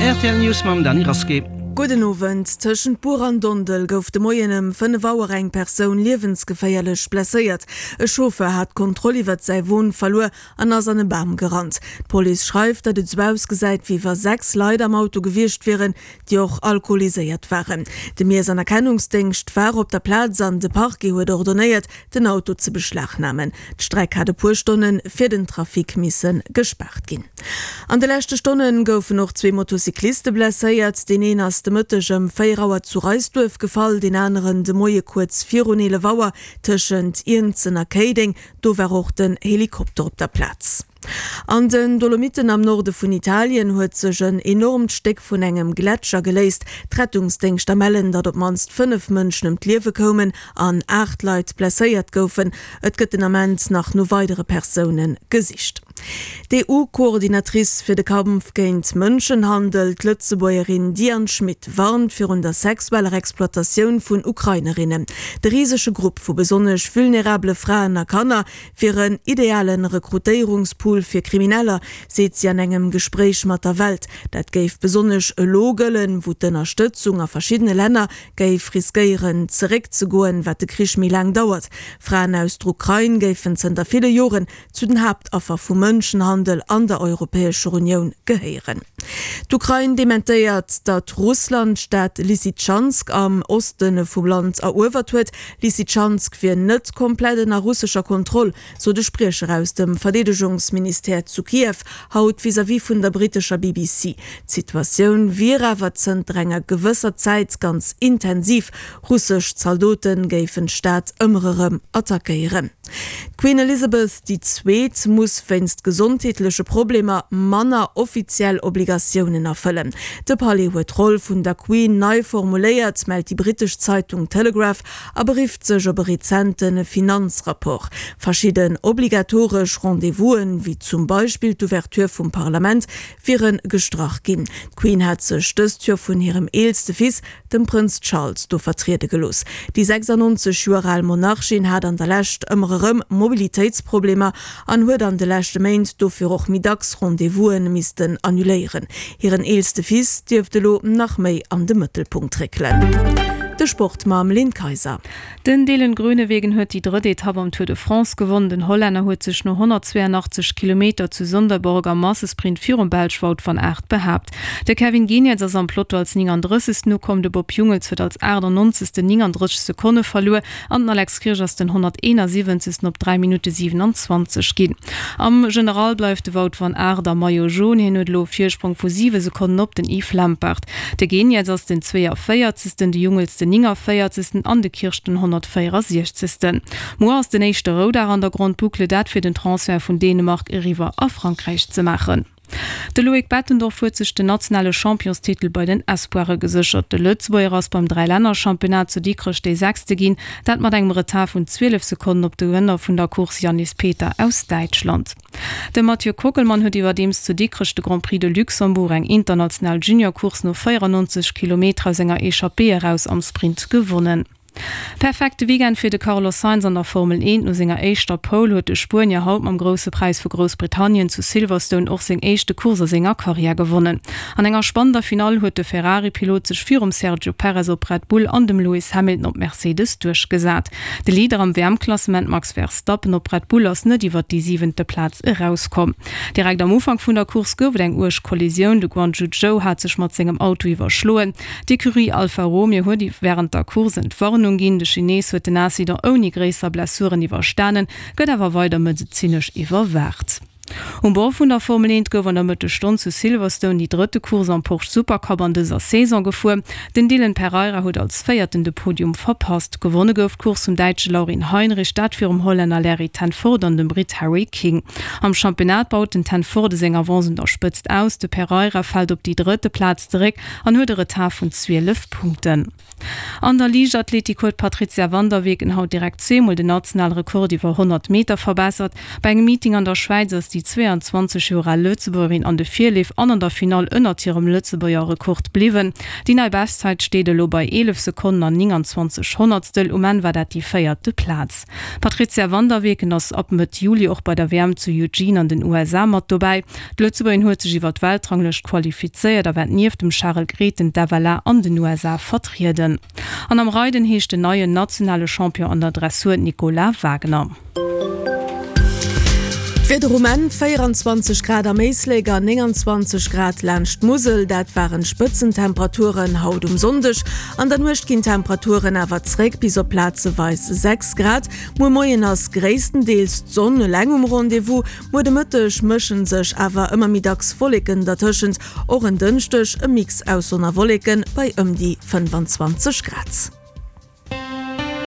Rtl News mam Dany Rasqué. Gudden Owend. Tëschent Buer an Dondel gouf de Moien ëm 5 Auer eng Persoun liewensgeféierlech blesséiert. E Chauffeur hat d'Kontroll iwwert säi Won verluer an ass an e Bam gerannt. D'Police schreift, datt et sou ausgesäit, wéi wa 6 Leit am Auto gewiescht wieren, déi och alkoholiséiert waren. De Miess an Erkennungsdéngscht war op der Plaz an de Parquet huet ordonéiert, den Auto ze beschlagnamen. D'Streck hat e puer Stonne fir den Trafic misse gespaart ginn. An de leschte Stonne goufen och zwee Motocycliste blesséiert. Deen een ass de Mëtteg ëm 4 Auer zu Reisduerf gefall, deen aneren de Moie kuerz virun 11 Auer tëschent Iernzen a Kéideng. Do war och den Helikopter op der Plaz. An den Dolomitten am Norde vun Italien huet sech en enormt Stéck vun engem Gletscher geléist. D'Rettungsdéngschter mellen, datt op d'mannst 5 Mënschen ëm d'Liewe koumen an 8 Leit blesséiert goufen. Et gëtt den Ament nach no weidere Persoune gesicht. D'EU-Coordinatrice fir de Kampf géint Mënschenhandel, d'Lëtzebuergerin Diane Schmit, warnt virun der sexueller Exploitatioun vun Ukrainerinnen. De risege Grupp vu besonnesch vulnerabele Fraen a Kanner wier en ideale Rekrutéierungspool fir Krimineller, seet si an engem Gespréich mat der Welt. Dat géif besonnesch elo gëllen, wou d'Ënnerstëtzung a verschiddene Länner géif riskéieren zeréckzegoen, wat de Krich méi laang dauert. Fraen aus der Ukrain géifen zënter ville Joren zu den Haaptaffer vu Mënschenhandel an der Europäescher Unioun gehéieren. D'Ukrain dementéiert, datt Russland d'Stad Lysytschansk am Oste vum Land eruewert huet. Lysytschansk wier net komplett ënner russescher Kontroll, sot e Spriecher aus dem Verdeedegungsministère zu Kiew haut vis-à-vis vun der brittescher BBC. D'Situatioun wier awer zënter enger gewësser Zäit ganz intensiv. Russesch Zaldote géifen d'Stad ëmmer erëm attackéieren. D'Queen Elizabeth déi Zweet muss wéinst gesondheetleche Problemer manner offiziell Obligatiounen erfëllen. De Palais huet d'Roll vun der Queen nei formuléiert, mellt déi brittesch Zeitung Telegraph a berifft sech op e rezente Finanzrapport. Verschidden obligatoresch Rendez-vousen, wéi zum Beispill d'Ouverture vum Parlament, wiere gestrach ginn. D'Queen hat sech dëst Joer vun hirem eelste Fils, dem Prënz Charles do vertriede gelooss. Déi 96 Joer al Monarchin hat an der Lescht ëmmer erëm Mobilitéitsproblemer an huet an de leschte Méint dofir och méi dacks Rendez-vouse missten annuléieren. Hiren eelste Fils dierft elo nach méi an de Mëttelpunkt réckelen. De Sport mam Lynn Kayser. Den Dylan Groenewegen huet déi drëtt Etapp am Tour de France gewonn. Den Hollänner huet sech no 182 Kilometer zu Sonderborg am Massesprint virum Belsch Wout van Aert behaapt. De Kevin Geniets ass am Peloton als 39. Ukomm, de Bob Jungels huet als 98. 39 Sekonne verluer an den Alex Kirsch ass den 171. op 3 Minutte 27 ginn. Am General bleift de Wout van Aert am Maillot jaune, hien huet elo e Virsprong vu 7 Sekonnen op den Yves Lampaert. De Geniets ass den 42., de Jungels den 49. An de Kirsch den 164. Muer ass den éischte Roudag an der Grande Boucle, dat fir den Transfert vun Dänemark eriwwer a Frankräich ze maachen. De Loïc Bettendorf huet sech den nationale Championstitel bei den Espoire geséchert. De Lëtzebuerger ass beim Dräilänner-Championnat zu Dikrech dee Sechste ginn, dat mat engem Retard vun 12 Sekonnen op de Gewënner vun der Course Yannis Peter aus Däitschland. De Mathieu Kockelmann huet iwwerdeems zu Dikrech de Grand Prix de Luxembourg, eng international Junior-Course no 94 Kilometer aus enger Echappée eraus am Sprint gewonnen. Perfekte Weekend fir de Carlos Sainz an der Formel 1. No senger éischter Pole huet de Spuenier haut mam Grousse Präis vu Groussbritannien zu Silverstone och seng éischte Course a senger Karriär gewonnen. An enger spannender Finall huet de Ferrari-Pilot sech virum Sergio Perez op Red Bull an dem Lewis Hamilton op Mercedes duerchgesat. De Leader am WM-Klassement Max Verstappen op Red Bull ass net iwwer déi siwente Plaz erauskomm. Direkt am Ufank vun der Course gouf et eng uerg Kollisioun. De Guanyu Zhou hat sech mat sengem Auto iwwerschloen. D'Ecurie Alfa Romeo huet wärend der Course Entwarnung ginn. De Chines huet den Incident ouni gréisser Blessuren iwwerstanen, gëtt awer weider medezinesch iwwerwaacht. Um Bord vun der Formel 1 gouf an der Mëttesstonn zu Silverstone déi drëtte Course am Porsche Supercup an dëser Saison gefuer. Den Dylan Pereira huet als Véierten de Podium verpasst. Gewonne gouf d'Course vum Däitsche Laurin Heinrich, dat virum Hollänner Larry ten Voorde an dem Britt Harry King. Am Championnat baut den ten Voorde seng Avance un der Spëtzt aus. De Pereira fält op déi drëtte Plaz zeréck an huet e Retard vun 12 Punkten. An der Liichtathletik huet d'Patrizia van der Weken haut direkt zweemol den nationale Rekord iwwer 100 Meter verbessert. Bei engem Meeting an der Schwäiz ass déi 32. 23 Joer al Lëtzebuergerin an de Virleef an an der Finall ënnert hirem Lëtzebuerger Rekord bliwwen. Déi nei Beschtzäit steet elo bei 11 Sekonnen an 29 Honnertstel. Um Enn war dat déi véierte Plaz. D'Patrizia van der Weken ass ab Mëtt Juli och bei der WM zu Eugene an den USA mat dobäi. D'Lëtzebuergerin huet sech iwwer d'Weltranglëscht qualifizéiert a wäert nieft dem Charel Grethen d'FLA an den USA vertrieden. An am Reiden heescht den neien nationale Champion an der Dressur Nicolas Wagner. D'Wieder um Enn, 24 Grad am Éislek a 29 Grad laanscht d'Musel, dat waren d'Spëtzentemperaturen haut um Sonndeg. An der Nuecht ginn d'Temperaturen awer zréck bis op plazeweis 6 Grad. Muer Moien ass gréisstendeels d'Sonn eleng um Rendez-vous, muer de Mëtteg mësche sech awer ëmmer méi dacks Wolleken dertëschent. Och en Dënschdeg e Mix aus Sonn a Wolleken bei ëm déi 25 Grad.